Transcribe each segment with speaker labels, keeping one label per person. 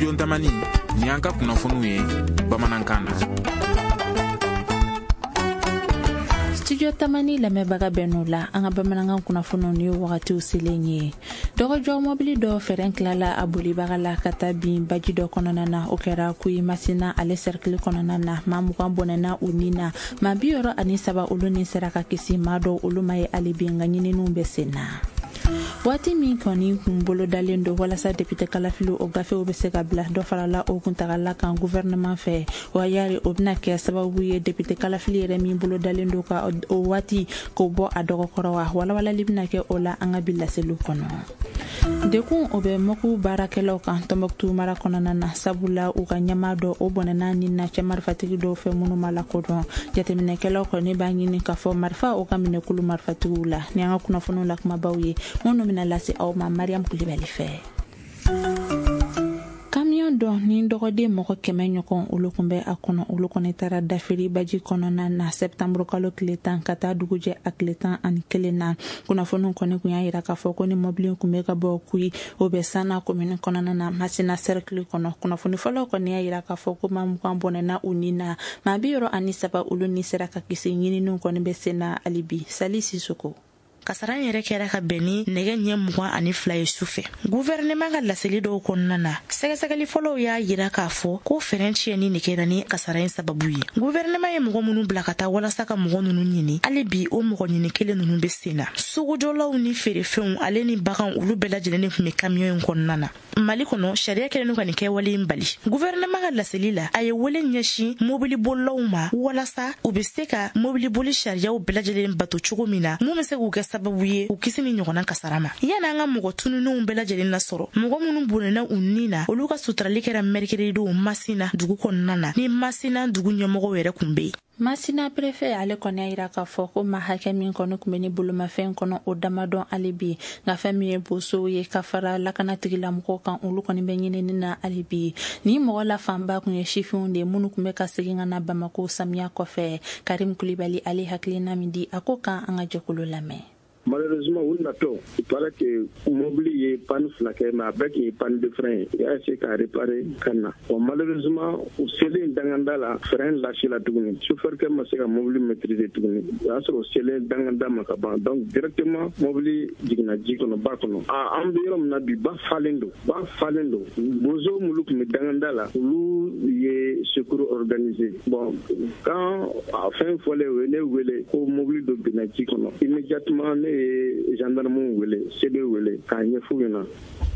Speaker 1: Studio Tamani, ni an ka kunnafoniw ye bamanankan na.
Speaker 2: Studio Tamani lamɛnbaga bɛɛ n'o la, an ka bamanankan kunnafoniw ni wagatiw selen ye. Dɔgɔjɔ mɔbili dɔ fɛrɛn tilala a bolibaga la ka taa bin baji dɔ kɔnɔna na. O kɛra Kuyi Masina ale sɛrikili kɔnɔna na. Maa 20 bɔnɛna u ni na, maa 63 olu ni sera ka kisi. Maa dɔw olu ma ye hali bi, nka ɲininiw bɛ sen na. Waati min kɔni kun bolodalen don walasa depite kalafili o gafew bɛ se ka bila, dɔ farala o kuntagala kan gouvernement fɛ. Wa yari o bɛna kɛ sababu ye depite kalafili yɛrɛ min bolodalen don ka o waati k'o bɔ a dɔgɔkɔrɔ wa? Walawalali bɛna kɛ o la an ka bi laseliw kɔnɔ. Dekun o bɛ mɔku baarakɛlaw kan Tɔnbɔkutu mara kɔnɔna na, sabula u ka ɲɛmaa dɔ o bɔnɛna ni na cɛ marifatigi dɔw fɛ minnu ma lakodɔn. Jateminɛkɛlaw kɔni b'a ɲini k'a fɔ marifa o ka minɛ kulu marifatigiw la. Ni an ka kunnafoniw la kumabaw ye minnu bɛna lase aw ma Mariam Kulibali fɛ. Kamiyɔn dɔ ni dɔgɔden mɔgɔ 100 ɲɔgɔn olu kun bɛ a kɔnɔ, olu kɔni taara dafiri baji kɔnɔna na sɛptanburu kalo tile 10 ka taa dugujɛ a tile 11 na. Kunnafoniw kɔni kun y'a yira k'a fɔ ko ni mɔbili kun bɛ ka bɔ Kuyi, o bɛ Sana komini kɔnɔna na, Masina sɛrikili kɔnɔ. Kunnafoni fɔlɔ kɔni y'a yira k'a fɔ ko maa 20 bɔnɛna u ni na, maa 63 olu ni sera ka kisi. Ɲininiw kɔni bɛ sen na hali bi. Sali Sisoko.
Speaker 3: Kasara yɛrɛ kɛra ka bɛn ni nɛgɛ ɲɛ 22 ye su fɛ. Guvɛrɛnɛman ka laseli dɔw kɔnɔna na, sɛgɛsɛgɛli fɔlɔw y'a yira k'a fɔ ko fɛrɛn tiɲɛni de kɛra ni kasara in sababu ye. Guvɛrɛnɛman ye mɔgɔ minnu bila ka taa walasa ka mɔgɔ ninnu ɲini, hali bi o mɔgɔ ɲini kelen ninnu bɛ sen na. Sugujɔlaw ni feerefɛnw ale ni baganw, olu bɛɛ lajɛlen de tun bɛ kamiyɔn in kɔnɔna na. Mali kɔnɔ, sariya kɛlen ka nin kɛwale in bali. Guvɛrɛnɛman ka laseli la, a ye wele ɲɛsin mobilibolilaw ma walasa u bɛ se ka mobiliboli sariyaw bɛɛ lajɛlen bato cogo min na, mun bɛ se k'u kɛ sababu ye u kisi ni ɲɔgɔnna kasara ma. Yanni an ka mɔgɔ tununnenw bɛɛ lajɛlen lasɔrɔ, mɔgɔ minnu bɔnɛna u ni na, olu ka suturali kɛra mercredi don Masina dugu kɔnɔna na, ni Masina dugu ɲɛmɔgɔw yɛrɛ kun bɛ yen.
Speaker 2: Masina préfet ale kɔni y'a yira k'a fɔ ko maa hakɛ min kɔni kun bɛ ni bolomafɛn kɔnɔ, o damadɔn hali bi. Nka fɛn min ye bosow ye ka fara lakana tigilamɔgɔw kan, olu kɔni bɛ ɲinini na hali bi. Ni mɔgɔ la fanba kun ye sifinw de ye minnu kun bɛ ka segin ka na Bamako samiya kɔfɛ. Karim Kulibali ale hakilina min di a ko kan, an ka jɛkulu lamɛn.
Speaker 4: Malheureusement, u natɔ, il paraît que mobili ye panne fila kɛ, mais a bɛɛ tun ye panne de frein ye. U y'a essayé k'a réparer ka na. Bon, malheureusement, u selen danganda la, frein lâché la tuguni. Chauffeur kɛ ma se ka mobili maîtriser tuguni. O y'a sɔrɔ u selen danganda ma ka ban. Donc directement, mobili jiginna ji kɔnɔ, ba kɔnɔ. Ah, an bɛ yɔrɔ min na bi, ba falen don. Ba falen don. Bozo minnu tun bɛ danganda la, olu ye secours organisé. Bon, quand a fɛn fɔlen, u ye ne wele ko mobili dɔ binna ji kɔnɔ. Immédiatement, ne ye gendarme wele, CD wele k'a ɲɛf'u ɲɛna.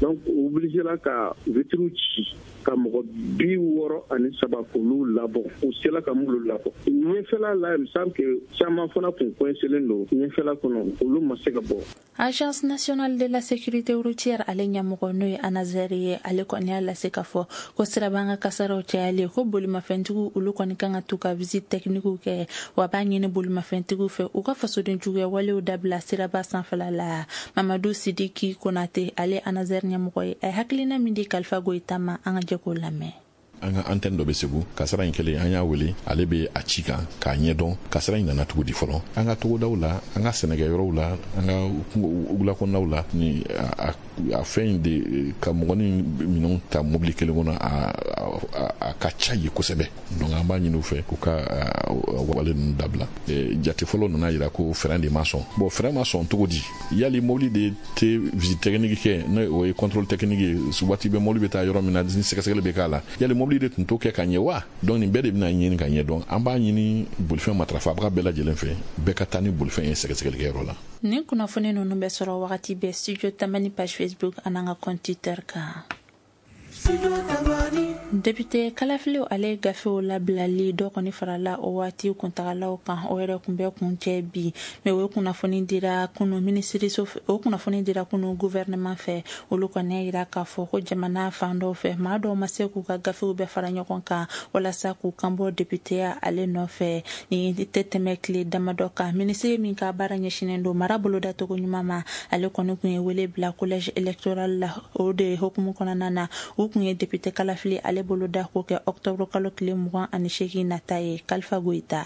Speaker 4: Donc u obligé la ka vitre ci ka mɔgɔ 63 k'olu labɔ. U sela ka m'olu labɔ. Ɲɛfɛla la, il me semble que caman fana kun coincélen don ɲɛfɛla kɔnɔ, olu ma se ka bɔ.
Speaker 2: Agence nationale de la sécurité routière ale ɲɛmɔgɔ, n'o ye ANASER ye, ale kɔni y'a lase k'a fɔ ko siraban ka kasaraw cayalen, ko bolimafɛntigiw olu kɔni kan ka t'u ka visite technique kɛ. Wa b'a ɲini bolimafɛntigiw fɛ u ka fasoden juguya walew dabila siraba sanfɛla la. Mamadu Sidiki Konate, ale ANASER ɲɛmɔgɔ ye, a ye hakilina min di Kalifa Goyita ma, an ka jɛ k'o lamɛn.
Speaker 5: An ka antenne dɔ bɛ Segu. Kasara in kɛlen, an y'a wele, ale bɛ a ci kan k'a ɲɛdɔn kasara in nana cogo di fɔlɔ. An ka togodaw la, an ka sɛnɛkɛyɔrɔw la, an ka wula kɔnɔnaw la, ni a fɛn in de ka mɔgɔnin minɛnw ta mobili kelen kɔnɔ, a ka ca ye kosɛbɛ. Donc an b'a ɲini u fɛ k'u ka wale ninnu dabila. Jate fɔlɔ nana yira ko frein de ma sɔn. Bon, frein ma sɔn cogo di? Yali mobili de tɛ visite technique kɛ, n'o o ye contrôle technique ye, waati bɛ mobili bɛ taa yɔrɔ min na ni sɛgɛsɛgɛli bɛ k'a la, yali mobili de tun t'o kɛ ka ɲɛ wa? Donc nin bɛɛ de bɛna ɲini ka ɲɛ dɔn. An b'a ɲini bolifɛn matarafabaga bɛɛ lajɛlen fɛ, bɛɛ ka taa ni bolifɛn ye sɛgɛsɛgɛlikɛyɔrɔ la.
Speaker 2: Nin kunnafoni ninnu bɛ sɔrɔ wagati bɛɛ Studio Tamani page Facebook an'an ka compte Twitter kan. Député kalafiliw ale gafew labilali, dɔ kɔni farala o waati kuntagalaw kan. O yɛrɛ kun bɛ kun cɛ bi, mais o kunnafoni dira kunu minisiriso, o kunnafoni dira kunu gouvernement fɛ. Olu kɔni y'a yira k'a fɔ ko jamana fan dɔw fɛ, maa dɔw ma se k'u ka gafew bɛɛ fara ɲɔgɔn kan walasa k'u kanbɔ députéya ale nɔfɛ. Ni tɛ tɛmɛ tile damadɔ kan, minisiri min ka baara ɲɛsinnen don mara bolodacogo ɲuman ma, ale kɔni kun ye wele bila collège électoral la. O de hukumu kɔnɔna na, u kun ye député kalafili ale boloda k'o kɛ octobre kalo tile 28 nata ye. Kalifa Goyita.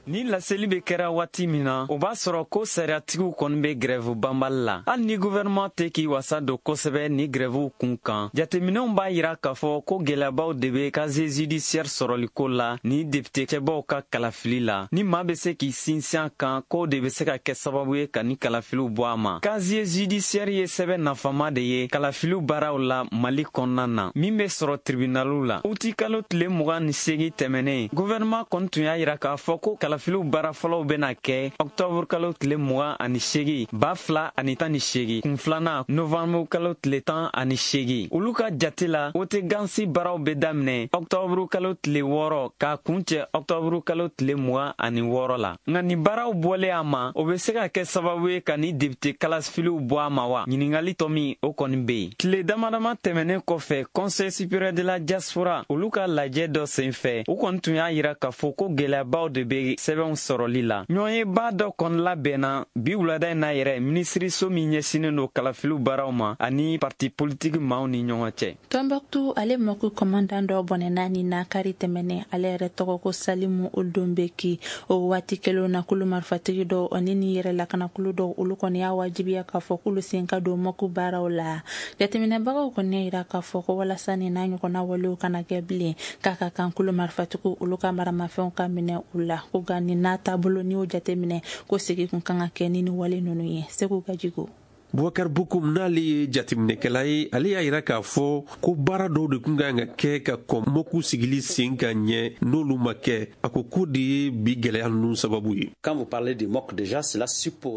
Speaker 6: Ni laseli bɛ kɛra waati min na, o b'a sɔrɔ ko sariyatigiw kɔni bɛ grève banbali la. Hali ni gouvernement tɛ k'i wasa don kosɛbɛ ni grèvew kun kan, jateminɛw b'a yira k'a fɔ ko gɛlɛyabaw de bɛ casier judiciaire sɔrɔliko la ni député cɛbaw ka kalafili la. Ni maa bɛ se k'i sinsin a kan k'o de bɛ se ka kɛ sababu ye ka ni kalafiliw bɔ a ma. Casier judiciaire ye sɛbɛn nafama de ye kalafiliw baaraw la Mali kɔnɔna na, min bɛ sɔrɔ tribunaliw la. Uti kalo tile 28 tɛmɛnen, gouvernement kɔni tun y'a yira k'a fɔ ko kalafiliw baara fɔlɔw bɛna kɛ octobre kalo tile 28 2018, kun filanan novembre kalo tile 18. Olu ka jate la, wote gansi baaraw bɛ daminɛ octobre kalo tile 6 k'a kuncɛ octobre kalo tile 26 la. Nka nin baaraw bɔlen a ma, o bɛ se ka kɛ sababu ye ka ni député kalafiliw bɔ a ma wa? Ɲininkali tɔ min o kɔni bɛ yen. Tile dama dama tɛmɛnen kɔfɛ, Conseil supérieur de la diaspora olu ka lajɛ dɔ senfɛ, u kɔni tun y'a yira k'a fɔ ko gɛlɛyabaw de bɛ sɛbɛnw sɔrɔli la. Ɲɔgɔnyeba dɔ kɔni labɛnna bi wulada in na yɛrɛ, minisiriso min ɲɛsinnen don kalafiliw baaraw ma ani parti politique maaw ni ɲɔgɔn cɛ.
Speaker 2: Tombouctou ale Mɔku commandant dɔ bɔnɛna nin na kari tɛmɛnen, ale yɛrɛ tɔgɔ ko Salimu Oldonbeki. O waati kelen na, kulu marifatigi dɔw ani ni yɛrɛ lakanakulu dɔw, olu kɔni y'a wajibiya k'a fɔ k'olu sen ka don Mɔku baaraw la. Jateminɛbagaw kɔni y'a yira k'a fɔ ko walasa nin n'a ɲɔgɔnna walew kana kɛ bilen, k'a ka kan kulu marifatigiw olu ka maramafɛnw ka minɛ u la. Ko nka nin n'a taabolo, n'i y'o jateminɛ, ko segin kun kan ka kɛ ni nin wale ninnu ye. Segu Gajigo.
Speaker 7: Bubakar Bokum, n'ale ye jateminɛkɛla ye, ale y'a yira k'a fɔ ko baara dɔw de kun kan ka kɛ ka kɔn Mɔku sigili sen ka ɲɛ, n'olu ma kɛ. A ko k'o de ye bi gwɛlɛya ninnu sababu ye.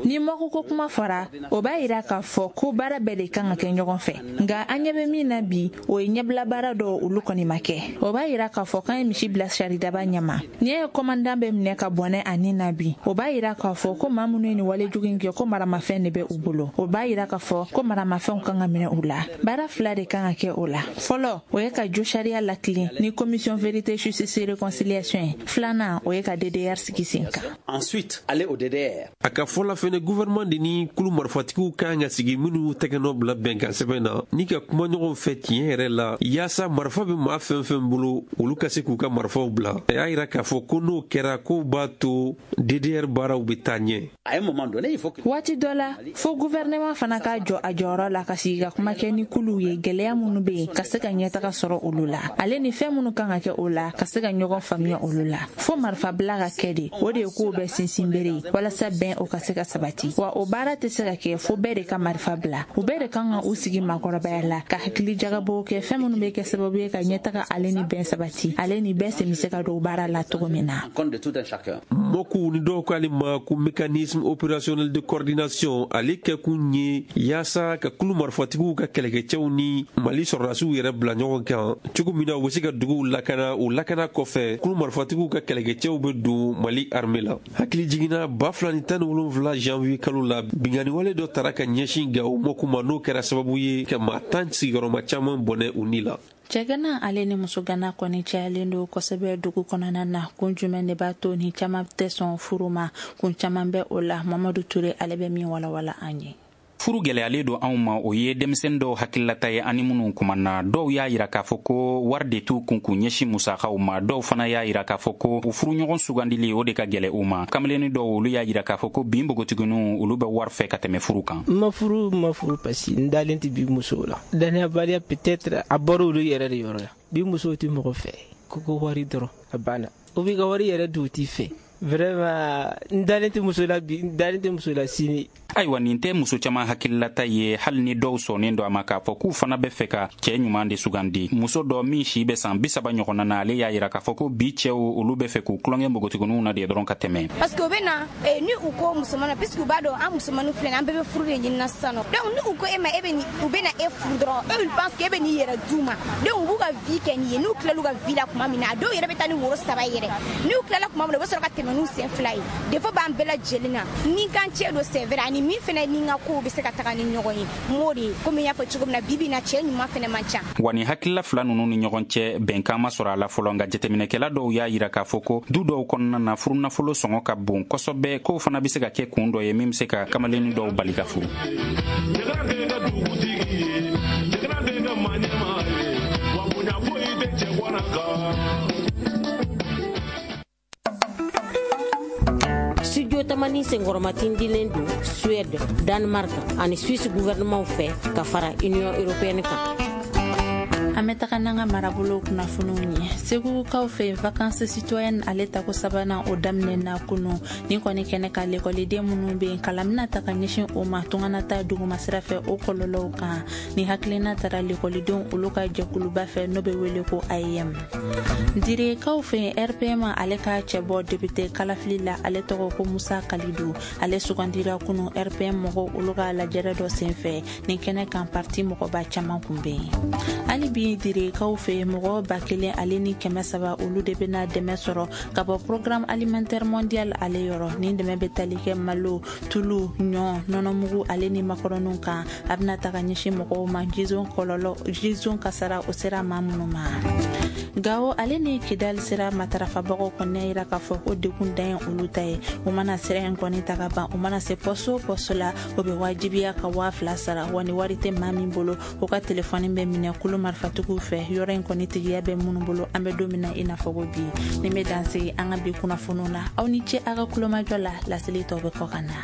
Speaker 2: Ni Mɔku ko kuma fɔra, o b'a yira k'a fɔ ko baara bɛɛ de kan ka kɛ ɲɔgɔn fɛ. Nka an ɲɛ bɛ min na bi, o ye ɲɛbila baara dɔw, olu kɔni ma kɛ. O b'a yira k'a fɔ k'an ye misi bila saridaba ɲɛma. N'i ye commandant bɛ minɛ ka bɔnɛ a nin na bi, o b'a yira k'a fɔ ko maa minnu ye nin wale jugu in kɛ, ko maramafɛn de bɛ u bolo. O b'a yira k'a fɔ ko maramafɛnw kan ka minɛ u la. Baara fila de kan ka kɛ o la. Fɔlɔ, o ye ka jo sariya latilen ni commission vérité, justice, réconciliation ye. Filanan, o ye ka DDR sigi sen kan.
Speaker 8: Ensuite, aller au DDR.
Speaker 7: A ka fɔ la fɛnɛ, gouvernement de ni kulu marifatigiw kan ka sigi minnu tɛgɛ nɔ bila bɛnkan sɛbɛn na, ni ka kuma ɲɔgɔn fɛ tiɲɛ yɛrɛ la, yaasa marifa bɛ maa fɛn fɛn bolo, olu ka se k'u ka marifaw bila. A y'a yira k'a fɔ ko n'o kɛra, k'o b'a to DDR baaraw bɛ taa ɲɛ.
Speaker 8: À un moment donné, il faut que
Speaker 2: Waati dɔ la, fo gouvernement fana k'a jɔ a jɔyɔrɔ la, ka sigi ka kuma kɛ ni kuluw ye, gɛlɛya minnu bɛ yen, ka se ka ɲɛtaga sɔrɔ olu la, ale ni fɛn minnu kan ka kɛ o la, ka se ka ɲɔgɔn faamuya olu la. Fo marifabila ka kɛ de, o de ye kow bɛɛ sinsin bere ye walasa bɛn o ka se ka sabati. Wa o baara tɛ se ka kɛ fo bɛɛ de ka marifa bila. U bɛɛ de kan ka u sigi maakɔrɔbaya la, ka hakili jagabɔw kɛ, fɛn minnu bɛ kɛ sababu ye ka ɲɛtaga ale ni bɛn sabati, ale ni bɛɛ sen bɛ se ka don baara la cogo min na.
Speaker 8: Compte de tout un chacun.
Speaker 7: Mɔkuw ni dɔw k'ale ma ko mécanisme opérationnel de coordination, ale kɛkun ye yaasa ka kulu marifatigiw ka kɛlɛkɛcɛw ni Mali sɔrɔdasiw yɛrɛ bila ɲɔgɔn kan cogo min na, u bɛ se ka duguw lakana. O lakana kɔfɛ, kulu marifatigiw ka kɛlɛkɛcɛw bɛ don Mali armée la. Hakili jiginna, 2017 janvier kalo la, binkanniwale dɔ tara ka ɲɛsin Gawo Mɔku ma, n'o kɛra sababu ye ka maa 10 sigiyɔrɔma caman bɔnɛ u ni la.
Speaker 2: Cɛgana ale ni musogana kɔni cayalen don kosɛbɛ dugu kɔnɔna na. Kun jumɛn de b'a to ni caman tɛ sɔn furu ma? Kun caman bɛ o la. Mamadu Ture, ale bɛ min walawala an ye.
Speaker 1: Furu gɛlɛyalen don anw ma, o ye denmisɛnnin dɔw hakililata ye ani minnu kumana. Dɔw y'a yira k'a fɔ ko wari de t'u kun k'u ɲɛsin musakaw ma. Dɔw fana y'a yira k'a fɔ ko u furuɲɔgɔn sugandili, o de ka gɛlɛ u ma. Kamalenni dɔw, olu y'a yira k'a fɔ ko bin npogotigininw, olu bɛ wari fɛ ka tɛmɛ furu kan.
Speaker 9: N ma furu, n ma furu parce que n dalen tɛ bi musow la. Danayabaliya, peut-être a bɔra olu yɛrɛ de yɔrɔ la. Bi musow tɛ mɔgɔ fɛ ko wari dɔrɔn, a banna. U b'i ka wari yɛrɛ dun, u t'i fɛ. Vraiment, n dalen tɛ muso la bi, n dalen tɛ muso la sini.
Speaker 1: Ayiwa, nin tɛ muso caman hakililata ye, hali ni dɔw sɔnnen don a ma k'a fɔ k'u fana bɛ fɛ ka cɛɛ ɲuman de sugandi. Muso dɔ min si bɛ san 30 ɲɔgɔnna na, ale y'a yira k'a fɔ ko bi cɛw, olu bɛ fɛ k'u tulonkɛ npogotigininw na de dɔrɔn ka tɛmɛ.
Speaker 10: Parce que u bɛ na ni u ko musoman na, puisque u b'a dɔn an musomaninw filɛ nin, an bɛɛ bɛ furu de ɲini na sisan nɔ. Donc ni u ko e ma, e bɛ nin, u bɛ na e furu dɔrɔn, eux, ils pensent que e bɛ n'i yɛrɛ d'u ma. Donc u b'u ka vie kɛ nin ye. N'u tilal'u ka vie la tuma min na, a dɔw yɛrɛ bɛ taa ni woro saba yɛrɛ. N'u tilala tuma min na, u bɛ sɔrɔ ka tɛmɛ n'u sen fila ye. Défaut b'an bɛɛ lajɛlen na. Ni kan cɛ don, c'est vrai, ani min fɛnɛ ni n ka kow bɛ se ka taga ni ɲɔgɔn ye, m'o de ye. Komi n y'a fɔ cogo min na, bi bi na, cɛ ɲuman fɛnɛ man ca.
Speaker 1: Wa nin hakilila fila nunu ni ɲɔgɔn cɛ, bɛnkan ma sɔrɔ a la fɔlɔ. Nka jateminɛkɛla dɔw y'a yira k'a fɔ ko du dɔw kɔnɔna na, furunafolo sɔngɔ ka bon kosɔbɛ, k'o fana be se ka kɛ kun dɔ ye min be se ka kamalenni dɔw bali ka furu.
Speaker 11: Tamani senkɔrɔmatindilen don Suède, Danemark ani Suisse gouvernementw fɛ ka fara Union européenne kan.
Speaker 2: An bɛ taga n'an ka marabolo kunnafoniw ye. Segukaw fɛ, vacances citoyennes ale tako sabanan o daminɛna kunu. Nin kɔni kɛnɛ ka, lekɔliden minnu bɛ yen, kalan bɛna ta ka ɲɛsin o ma tunganata duguma sira fɛ, o kɔlɔlɔw kan. Ni hakilina tara lekɔlidenw olu ka jɛkuluba fɛ, n'o bɛ wele ko AEM. Direkaw fɛ, RPM ale ka cɛbɔ député kalafili la, ale tɔgɔ ko Musa Kalidu, ale sugandira kunu RPM mɔgɔw olu ka lajɛrɛ dɔ senfɛ. Nin kɛnɛ kan, parti mɔgɔba caman kun bɛ yen. Hali bi direkaw fɛ, mɔgɔ 1300, olu de bɛna dɛmɛ sɔrɔ ka bɔ Programme alimentaire mondial ale yɔrɔ. Nin dɛmɛ bɛ tali kɛ malo, tulu, ɲɔ, nɔnɔmugu ale ni makɔrɔniw kan. A bɛna ta ka ɲɛsin mɔgɔw ma jizon kɔlɔlɔ, jizon kasara o sera maa minnu ma. Gawo ale ni Kidali sira matarafabagaw kɔni y'a yira k'a fɔ ko degun dan ye olu ta ye. U mana sira in kɔni ta ka ban, u mana se poste o poste la, o bɛ wajibiya ka 2000 sara. Wa ni wari tɛ maa min bolo, o ka telefɔni bɛ minɛ kulu marifatigiw fɛ, yɔrɔ in kɔni tigiya bɛ minnu bolo. An bɛ don min na i n'a fɔ ko bi, nin bɛ dan sigi an ka bi kunnafoniw na. Aw ni ce aw ka kulomajɔ la. Laseli tɔw bɛ kɔ ka na.